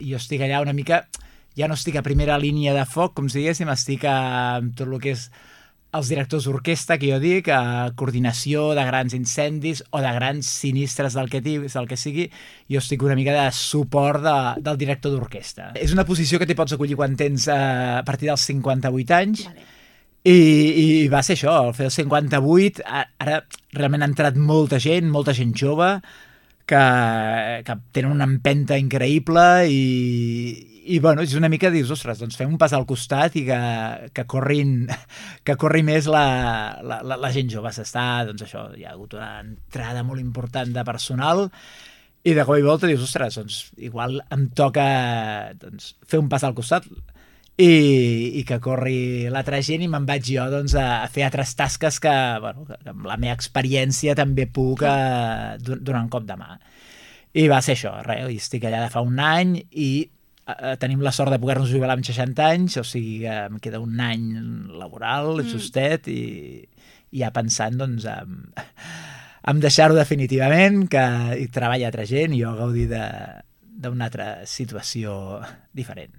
jo estic allà una mica, ja no estic a primera línia de foc, com si diguéssim, estic amb tot el que és els directors d'orquestra, que jo dic, coordinació de grans incendis o de grans sinistres del que sigui, jo estic una mica de suport del director d'orquestra. És una posició que t'hi pots acollir quan tens a partir dels 58 anys, Vale. i va ser això, al fer els 58, ara realment ha entrat molta gent jove, que tenen una empenta increïble i bueno, és una mica dius, ostres, doncs fem un pas al costat i que corri més la gent jove. Doncs això, hi ha hagut una entrada molt important de personal i de cop i volta dius, ostres, doncs igual em toca fer un pas al costat i que corri l'altra gent i me'n vaig jo a fer altres tasques que amb la meva experiència també puc donar un cop de mà. I va ser això, i estic allà de fa un any i tenim la sort de poder-nos jubilar amb 60 anys, o sigui que em queda un any laboral, justet, i ja pensant en deixar-ho definitivament, i treballar altra gent i jo gaudir d'una altra situació diferent.